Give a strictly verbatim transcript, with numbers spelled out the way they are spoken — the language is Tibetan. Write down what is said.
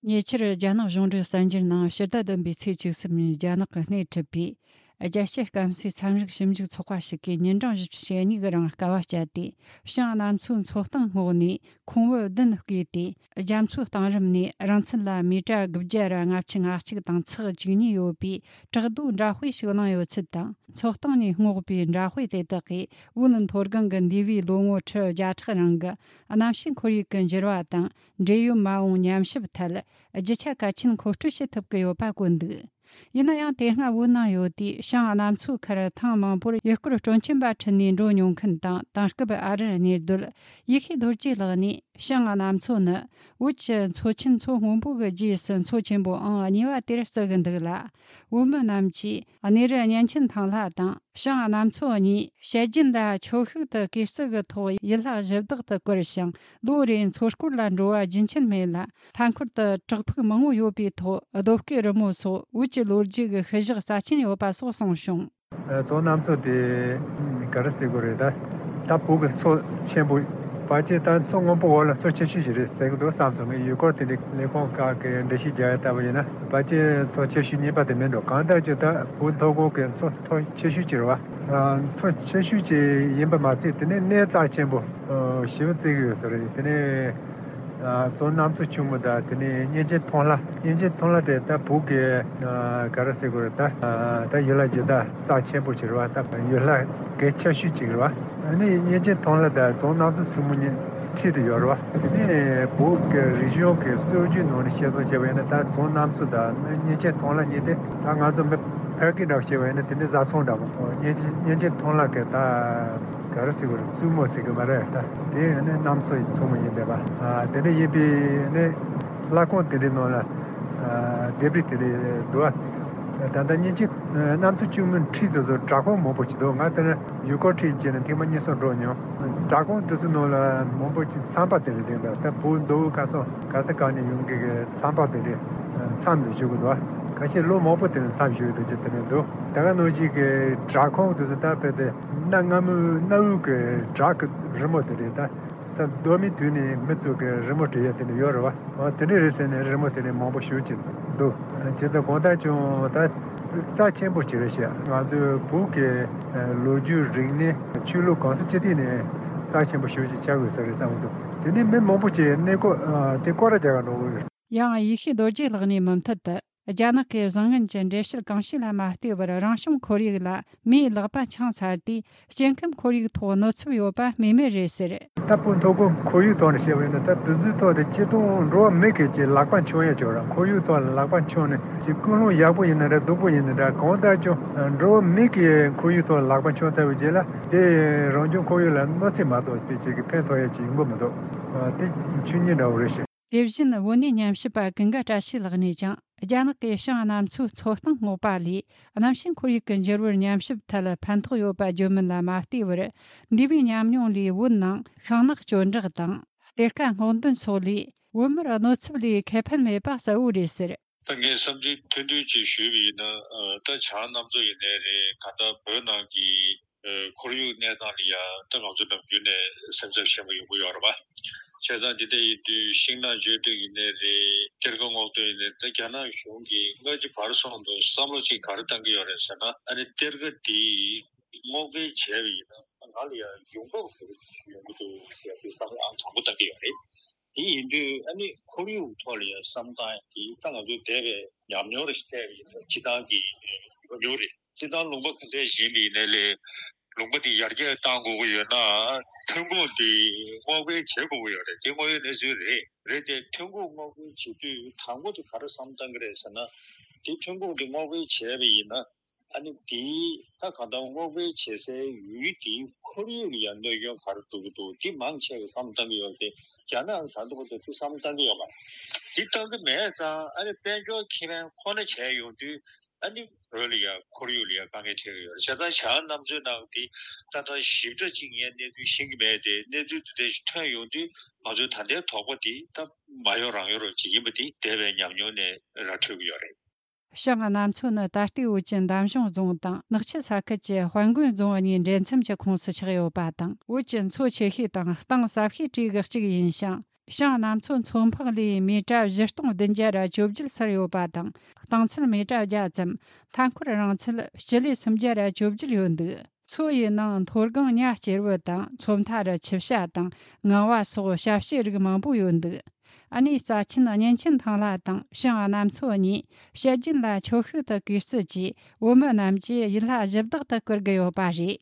ཉེ་ཆར་རྒྱ་ནག་གཞུང་འབྲེལ་གསར་འགྱུར་ནང་ཕྱི་ཟླ་བདུན་པའི་ཚེས་བཅུ་གསུམ་ཉིན་རྒྱ་ནག་གིས་སྣེ་ཁྲིད་པའི་རྒྱལ་སྤྱིའི་སྐམ་སའི་ཚན་རིག་ཞིབ་འཇུག་ཚོགས་པ་ཞིག་གིས་ཉིན་གྲངས་བཞི་བཅུ་ཞེ་གཉིས་ཀྱི་རིང་དཀའ་བ་སྤྱད་དེ། བྱང་གནམ་མཚོའི་མཚོ་གཏིང་སྔོག་ནས་ཁོང་བུ་བདུན་བརྐོས་ཏེ། རྒྱ་མཚོའི་གཏིང་རིམ་ནས་རིང་ཚད་ལ་མི་ཊར་དགུ་བརྒྱ་ར་ལྔ་བཅུ་ང་གཅིག་དང་ཚེག་བཅུ་གཉིས་ཡོད་པའི་བྲག་རྡོའི་འདྲ་དཔེ་ཞིག་བླངས་ཡོད་ཚུལ་དང་། མཚོ་གཏིང་ནས་སྔོག་པའི་འདྲ་དཔེ་དེ་དག་གིས་བོད་མཐོ་སྒང་གི་འདས་པའི་ལོ་ངོ་ཁྲི་བརྒྱ་ཕྲག་རིང་གི་གནམ་གཤིས་ཁོར་ཡུག་གི་འགྱུར་བ་དང་། འབྲེལ་ཡོད་མ་འོངས་ཉམས་ཞིབ་ཐད་རྒྱུ་ཆ་གལ་ཆེན་མཁོ་སྤྲོད་བྱེད་ཐུབ་ཀྱི་ཡོད་པ་བཀོད་འདུག་ཡིན་ན་ཡང་། དེ་སྔ་བོད་ནང་ཡོད་དུས་བྱང་གནམ་མཚོ་ཁར་ཐེངས་མང་པོར་ཡུལ་སྐོར་སྤྲོ་འཆམ་པ་ཁྲིད་ནས་འགྲོ་མྱོང་མཁན་དང་། དེང་སྐབས་ཨ་རིར་གནས་སྡོད་ཡེ་ཤེས་རྡོ་རྗེ་ལགས་ནས། བྱང་གནམ་མཚོ་ནི་བོད་ཀྱི་མཚོ་ཆེན་མཚོ་སྔོན་པོ་གི་རྗེས་སུ་མཚོ་ཆེན་པོ་ཨང་གཉིས་པ་དེར་བརྩི་གི་འདུག་ལ། བོད་མི་རྣམས་ཀྱིས་གནས་རི་གཉན་ཆེན་ཐང་ལྷ་དང་བྱང་གནམ་མཚོ་གཉིས་བཤད་རྒྱུན་ལ་ཆོས་ཤུགས་དུ་གུས་བརྩི་གི་ཐོག་ཡུལ་ལྷ་གཞི་བདག་ཏུ་བཀུར་ཞིང་། ལོ་རེའི་མཚོ་སྐོར་ལ་འགྲོ་བ་རྒྱུན་ཆད་མེད་ལ། མཐའ་འཁོར་དུ་བྲག་ཕུག་མང་བོ་ཡོད་པའི་ཐོག་རྡོ་བརྐོས་རི་མོ་སོགས་བོད་ཀྱི་ལོ་རྒྱུས་ཀྱི་ཤུལ་བཞག་རྩ་ཆེན་ཡོད་པ་སོགས་གསུངས་བྱུང་། ཨ། བྱང་གནམ་མཚོ་དེ་ག་རེ་ཟེར་དགོས་རེད། ད་ད་བོད་ཀྱི་མཚོ་ཆེན་པོ། ཕལ་ཆེར་ད་མཚོ་སྔོན་པོ་འོག་ལ་མཚོ་ཆེ་ཤོས་ཤིག་རེད་ཟེར་གི་འདུག་བསམ་སོང་། ངས་ཡུལ་སྐོར་དེ་འདྲའི་ལས་ཁུངས་ཁག་གིས་འགྲེལ་བཤད་རྒྱག་ཡ་ལྟ་བུ་ཡིན་ན། ཕལ་ཆེར་མཚོ་ཆེ་ཤོས་གཉིས་པ་དེ་མིན་འགྲོ། གང་ལྟར་ཀྱང་ད་བོད་མཐོ་སྒང་གི་མཚོ་མཐོ་ཆེ་ཤོས་ཅིག་རེད་བ། ཨ། མཚོ་ཆེ་ཤོས་ཅིག་ཡིན་པ་མ་ཟད། དེ་ནས་གནས་རྩ་ཆེན་པོ་ཞེ་པོ་བརྩི་གི་ཡོད་ས་རེད། དེ་ནས། ཨ། བྱང་གནམ་མཚོ་ཆུང་ངུ་དང་། དེ་ནས་གཉན་ཆེན་ཐང་ལྷ། གཉན་ཆེན་ཐང་ལྷ་དེ་ད་བོད་ཀྱི། ཨ། ག་རེ་ཟེར་དགོས་རེད། ད། ཨ། ད་ཡུལ་ལྷ་གཞི་བདག་རྩ་ཆེན་པོ་ཅིག་རེད་བ། ད་ཡུལ་ལྷ་གལ་ཆེ་ཤོས་ཅིག་རེད་བ། ཨ་ནི་གཉན་ཆེན་ཐང་ལྷ་དང་བྱང་གནམ་མཚོ་ཆུང་ངུ་གཉིས་འཁྲིས་དུ་ཡོད་རེད་བ། དེ་ནས་བོད་ཀྱི་རིག་གཞུང་གི་སྲོལ་རྒྱུན་ནང་ནས་བཤད་སྲོལ་བྱས་པ་ཡིན་ན། ད་བྱང་གནམ་མཚོ་དང་གཉན་ཆེན་ཐང་ལྷ་གཉིས་དེ་ད་ང་ཚོ་མི་ཕལ་སྐད་འདྲ་བོ་བཤད་པ་ཡིན་ན། དེ་ནི་བཟའ་ཚང་འདྲ་བོ། གཉན་གཉན་ཆེན་ཐང་ལྷ་གི་ད་ག་རེ་ཟེར་དགོས་རེད། བཙུན་མོ་ཟེར་གི་མ་རེད། ད་དེ་ནི་གནམ་མཚོ་ཡི་མཚོ་མོ་ཡིན་བསྡད་པ། ཨ། དེ་འདྲ་ཡིན་པས་ནི་ལྷ་ཁང་དེ་འདྲའི་ནང་ལ། ཨ། ལྡེབས་རིས་དེ་འདྲ་འདུག་ཨ། ད་ལྟ་གཉན་ཆེན་གནམ་མཚོ་ཆུང་ངུའི་འཁྲིས་དེ་ཚོ་བྲག་ཁུང་མང་པོ་ཅིག་འདུག་ང་དེ་ནི་ཡུལ་སྐོར་ཁྲིད་བྱས་ནས་ཐེངས་མ་གཉིས་གསུམ་འགྲོ་མྱོང་། བྲག་ཁུང་དེ་ཚོའི་ནང་ལ་མང་པོ་ཅིག་མཚམས་པ་དེ་འདྲ་བསྡད་འདུག་ད་བོད་མདོ་དབུས་ཁམས་གསུམ་ག་ས་ག་ནས་ཡོང་མཁན་གྱི་མཚམས་པ་དེ་འདྲ་མཚམས་དུ་བཞུགས་གི་འདུག་ཁ་ཤས་ལོ་མང་པོ་དེ་ནས་མཚམས་བཞུགས་ཡོད་དུས་དེ་འདྲ་འདུག་ད་ག་ནང་བཞིན་གྱི་བྲག་ཁུང་དེ་ཚོ་ད་དཔེ་དེ་གནའ་སྔ་མོའི་གནའ་བོའི་གི་བྲག་གི་རི་མོ་དེ་རེད། ད་ས་རྡོ་མའི་དུས་ནས་མི་ཚོ་གི་རི་མོ་བྲིས་ཡ་དེ་འདྲ་ཡོད་རེད་བ། འོ། དེ་འདྲ་རེད་ཟེར་ནས་རི་མོ་དེ་འདྲ་མང་པོ་ཞེ་ཅིག་འདུག་བྱས་ཙང་གང་ལྟར་ཀྱང་ད་རྩ་ཆེན་པོ་ཅིག་རེད་ཤག་ང་ཚོའི་བོད་ཀྱི་ལོ་རྒྱུས། རིག་གནས། ཆོས་ལུགས་གང་ས་ཅི་ཐད་ནས་རྩ་ཆེན་པོ་ཞེ་ཅིག་ཆགས་དགོས་ས་རེད་བསམ་གྱི་འདུག་དེ་ནས་མི་མང་པོ་ཅིག་གནས་སྐོར། ཨ། དེ་སྐོར་ར་རྒྱག་ག་འགྲོ་གི་ཡོད་རེད། ཡང་ཡེ་ཤེས་རྡོ་རྗེ་ལགས་ནས་མུ་མཐུད་དུ། རྒྱ་ནག་གི་བཟང་ངན་གྱི་འགྲེལ་བཤད་གང་ཤེས་ལ་མ་ལྟོས་པར། རང་བྱུང་ཁོར་ཡུག་ལ་མིའི་ལག་པ་འཆང་ཚར་དུས། སྐྱེ་ཁམས་ཁོར་ཡུག་ཐོག་གནོད་ཚབས་ཡོད་པ་སྨོས་མེད་རེད་ཟེར། ད་བོད་མཐོ་སྒང་ཁོར་ཡུག་ཐོག་ནས་བཤད་པ་ཡིན་ན། ད་དུས་ཚོད་ཐོག་དེ་སྤྱིར་བཏང་འགྲོ་བ་མི་གི་ཅིག་ལག་པ་འཆང་ཡ་ཅིག་ཡོད་རེད། ཁོར་ཡུག་ཐོག་ལ་ལག་པ་འཆང་ནས་ཅིག་ཀུན་སློང་ཡག་པོ་ཡིན་ན་འདྲ། སྡུག་པོ་ཡིན་ན་འདྲ། གང་ལྟར་ཀྱང་འགྲོ་བ་མི་གི་ཁོར་ཡུག་ཐོག་ལ་ལག་པ་འཆང་ཚར་བའི་རྗེས་ལ། དེ་རང་བྱུང་ཁོར་ཡུག་ལ་གནོད་འཚེ་མ་གཏོགས་པའི་ཅིག་གི་ཕན་ཐོགས་ཡ་ཅིག་ཡོང་གི་མི་འདུག་དེ་ཆོས་ཉིད་འདྲ་བོ་རེད་ཤག་དེ་བཞིན་བོད་གནས་ཉམས་ཞིབ་པ་ཀུན་དགའ་བཀྲ་ཤིས་ལགས་ནས་ཀྱང་། རྒྱ་ནག་གིས་བྱང་གནམ་མཚོའི་མཚོ་གཏིང་སྔོག་པ་ལས་གནམ་གཤིས་ཁོར་ཡུག་གི་འགྱུར་བར་ཉམས་ཞིབ་ཐད་ཕན་ཐོགས་ཡོད་པ་བརྗོད་མིན་ལ་མ་ལྟོས་པར། འདས་པའི་ཉམས་མྱོང་ལས་བོད་ནང་ཤིང་ནགས་གཅོད་འབྲེག་དང་། གཏེར་ཁ་སྔོག་འདོན་སོགས་ལས་བོད་མིར་གནོད་ཚབས་ལས་ཁེ་ཕན་མེད་པ་གསལ་བོ་རེད་ཟེར། ད་ངས་བསམ་ཚུལ་ཐུང་ཐུང་ཅིག་ཞུས་པ་ཡིན་ན། ཨ། ད་བྱང་གནམ་མཚོ་ཡིན་ནའི་རེད། གང་ལྟར་བོད་ནང་གི་ཨ། ཁོར་ཡུག་གནས་སྟངས་ལ་ཡང་ད་ང་ཚོ་ནམ་རྒྱུན་ནས་སེམས་འཚབ་ཆེན་པོ་ཡོང་གི་ཡོད་རེད་པ། བྱས་ཙང་འདི་འདྲ་ཡིན་དུས་ཤིང་ནགས་གཅོད་འབྲེག་ཡིན་ནའི་རེད། གཏེར་ཁ་སྔོག་འདོན་ཡིན་ནའི་རེད། ད་རྒྱ་ནག་གཞུང་གིས་སྔ་ཕྱི་བར་གསུམ་དུ་བསམ་བློ་ཅིག་ག་རེ་བཏང་གི་ཡོད་རེད་ཟེར་ན། ཨ་ནི་གཏེར་ཁ་འདི་སྔོག་འདོན་བྱས་པ་ཡིན་ན་ང་ལ་ཡང་ཡོང་འབབ་ག་རེ་ཡོང་གི་འདུག་ཟེར་ཏེ་བསམ་བློ་ཨང་དང་པོ་བཏང་གི་ཡོད་རེད། དེ་ཡིན་དུས་ཨ་ནི་ཁོར་ཡུག་ཐོག་ལ་ཡང་བསམ་སྟངས་དེ་ད་ང་ཚོའི་འདས་པའི་ཉམས་མྱོང་རེ་བལྟས་པ་ཡིན་ན་སྤྱིར་བཏང་གི་ཉམས་མྱོང་རེད། སྤྱིར་བཏང་ལུང་པ་ག་འདྲས་བཞེངས་པ་ཡིན་ནའི་ལས། ལུང་པ་དེ་ཡར་རྒྱས་གཏང་དགོས་ཀྱི་ཡོད་ན། ཐོན་ཁུངས་དེ་སྔོག་འདོན་བྱེད་དགོས་ཀྱི་ཡོད་རེད། དེ་དངོས་ཡོད་གནས་ཚུལ་རེད། རེད་དེ་ཐོན་ཁུངས་སྔོག་འདོན་བྱེད་དུས་དང་པོ་དེ་ག་རེ་བསམ་བཏང་གི་རེད་ཟེར་ན། དེ་ཐོན་ཁུངས་དེ་སྔོག་འདོན་བྱས་པ་ཡིན་ན། ཨ་ནི་དེ་ད་གང་ལྟར་སྔོག་འདོན་བྱེད་སའི་ཡུལ་དེའི་ཁོར་ཡུག་ལ་ཡང་གནོད་སྐྱོན་ག་རེ་འགྲོ་གི་འདུག་དེ་མང་ཆེ་བས་བསམ་བཏང་གི་ཡོད་རེད་དེ། རྒྱ་ནག་གིས་ད་ལྟ་བར་དུ་དེ་བསམ་བཏང་གི་ཡོད་མ་རེད། དེ་བཏང་གི་མེད་ཙང་ཨ་ནི་དཔལ་འབྱོར་ཁེ་ཕན་ཁོ་ན་བྱས་ཡོང་དུས། ཨ་ནི་བོད་ལ་ཡང་ཁོར་ཡུག་ལ་ཡང་དཀའ་ངལ་འཕྲད་ཀྱི་ཡོད་རེད། བྱས་ཙང་བྱང་གནམ་མཚོའི་ནང་དེ་ཏག་ཏག་ཞིབ་ཕྲ་ཅིག་ངས་གནས་ཚུལ་ཤེས་ཀྱི་མེད་དེ། གནས་ཚུལ་དེ་འདྲ་ཞིག་ཐོན་ཡོང་དུས་ང་ཚོའི་ད་ལྟའི་དོགས་པ་དེ་ད་མ་ཡོང་རང་ཡོང་རོགས་ཅིག་ཡིན་པ་དེ་འདས་པའི་ཉམས་མྱོང་ནས་ར་འཕྲོད་ཀྱི་ཡོད་རེད། བྱང་གནམ་མཚོ་ནི་ད་ལྟའི་བོད་ཀྱི་འདམ་གཞུང་རྫོང་དང་ནག་ཆུ་ས་ཁུལ་གྱི་དཔལ་མགོན་རྫོང་གཉིས་འདྲེས་མཚམས་ཀྱི་ཁོངས་སུ་ཆགས་ཡོད་པ་དང་། བོད་ཀྱི་མཚོ་ཆེ་ཤོས་དང་གཏིང་ཟབ་ཤོས་གྲས་ཀྱི་གཅིག་ཡིན་ཞིང་། ཞིང་གནམ་མཚོ་མཚོ་འཕགས་ལས་མི་ཊར་བཞི་སྟོང་བདུན་བརྒྱ་ར་བཅོ་བརྒྱད་ཚུར་ཡོད་པ་དང་། རྟིང་ཚད་མི་ཊར་བརྒྱ་ཙམ། མཐའ་འཁོར་རིང་ཚད་སྤྱི་ལེ་སུམ་བརྒྱ་ར་བཅོ་བརྒྱད་ཡོད་འདུག་མཚོ་ཡི་ནང་མཐོ་སྒང་ཉ་སྐྱེར་བུ་དང་མཚོ་མཐའ་རུ་ཆུ་བྱ་དང་ངང་བ་སོགས་ཞབས་ཕྱི་རིགས་མང་པོ་ཡོད་འདུག་ཨ་ནེ་རྩ་ཆེན་གཉན་ཆེན་ཐང་ལྷ་དང་ཞིང་གནམ་མཚོ་གཉིས་བཤད་རྒྱུན་ལ་ཆོས་ཤུགས་དུ་གུས་བརྩི་གྱིས་བོད་མི་རྣམས་ཀྱི་ཡུལ་ལྷ་གཞི་བདག་ཏུ་བཀུར་གྱི་ཡོད་པ་རེད།